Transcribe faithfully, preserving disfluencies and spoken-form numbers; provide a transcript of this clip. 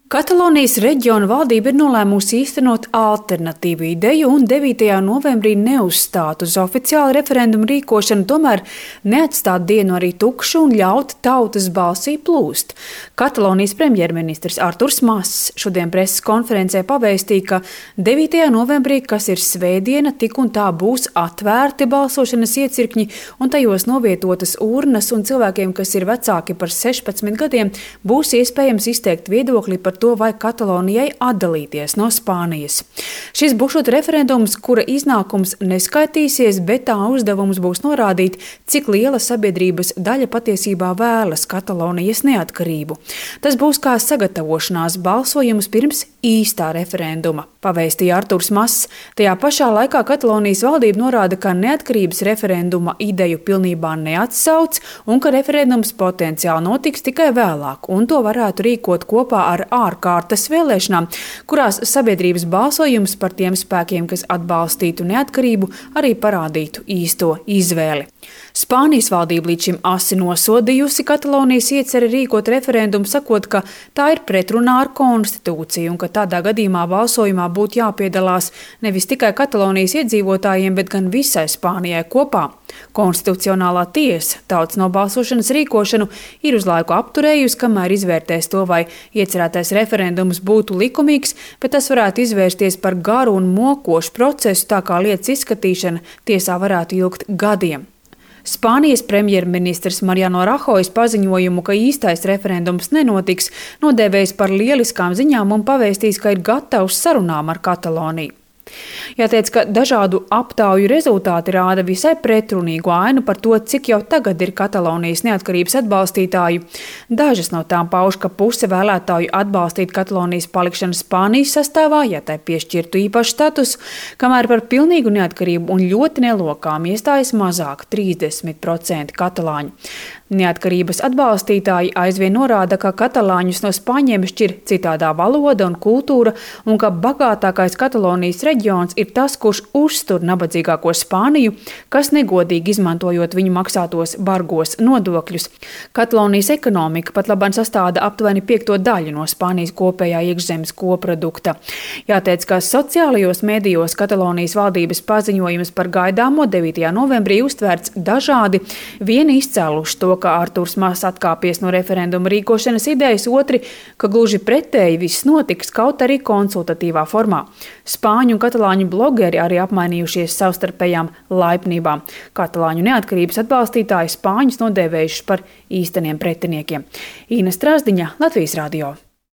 Katalonijas reģiona valdība ir nolēmusi īstenot alternatīvu ideju un devītajā novembrī neuzstāt uz oficiālu referendumu rīkošanu, tomēr neatstāt dienu arī tukšu un ļaut tautas balsī plūst. Katalonijas premjerministrs Arturs Mas šodien preses konferencē pavēstīja, ka devītajā novembrī, kas ir svētdiena, tik un tā būs atvērti balsošanas iecirkņi un tajos novietotas urnas, un cilvēkiem, kas ir vecāki par sešpadsmit gadiem, būs iespējams izteikt viedokli par to, vai Katalonijai atdalīties no Spānijas. Šis būšot referendums, kura iznākums neskaitīsies, bet tā uzdevums būs norādīt, cik liela sabiedrības daļa patiesībā vēlas Katalonijas neatkarību. Tas būs kā sagatavošanās balsojums pirms īstā referenduma, pavēstīja Arturs Mas. Tajā pašā laikā Katalonijas valdība norāda, ka neatkarības referenduma ideju pilnībā neatsauc un ka referendums potenciāli notiks tikai vēlāk, un to varētu rīkot kopā ar ārkārtas vēlēšanām, kurās sabiedrības balsojums par tiem spēkiem, kas atbalstītu neatkarību, arī parādītu īsto izvēli. Spānijas valdība līdz šim asi nosodījusi Katalonijas ieceri rīkot referendumu, sakot, ka tā ir pretrunā ar konstitūciju un ka tādā gadījumā balsojumā būtu jāpiedalās nevis tikai Katalonijas iedzīvotājiem, bet gan visai Spānijai kopā. Konstitucionālā tiesa tautas nobalsošanas rīkošanu ir uz laiku apturējusi, kamēr izvērtēs to, vai iecerētais referendums būtu likumīgs, bet tas varētu izvērsties par garu un mokošu procesu, tā kā lietas izskatīšana tiesā varētu ilgt gadiem. Spānijas premjerministrs Mariano Rajoy paziņojumu, ka īstais referendums nenotiks, nodēvējis par lieliskām ziņām un pavēstījis, ka ir gatavs sarunām ar Kataloniju. Jāteic, ka dažādu aptauju rezultāti rāda visai pretrunīgu ainu par to, cik jau tagad ir Katalonijas neatkarības atbalstītāju. Dažas no tām pauž, ka puse vēlētāju atbalstīt Katalonijas palikšanu Spānijas sastāvā, ja tai piešķirtu īpašu statusu, kamēr par pilnīgu neatkarību un ļoti nelokām iestājas mazāk trīsdesmit procenti katalāņu. Neatkarības atbalstītāji aizvien norāda, ka katalāņus no spāņiem šķir citādā valoda un kultūra un ka bagātākais Katalonijas reģions ir tas, kurš uztur nabadzīgāko Spāniju, kas negodīgi izmantojot viņu maksātos bargos nodokļus. Katalonijas ekonomika pat labāk sastāda aptuveni piekto daļu no Spānijas kopējā iekšzemes koprodukta. Jāteic, ka sociālajos medijos Katalonijas valdības paziņojums par gaidāmo devītajā novembrī uztvērts dažādi, vieni izcēluši to, ka Arturs Mas atkāpies no referenduma rīkošanas idejas, otri, ka gluži pretēji viss notiks, kaut arī konsultatīvā formā. Spāņu un katalāņu blogeri arī apmainījušies savstarpējām laipnībām. Katalāņu neatkarības atbalstītāji Spāņus nodēvējuši par īsteniem pretiniekiem. Īna Strāzdiņa, Latvijas radio.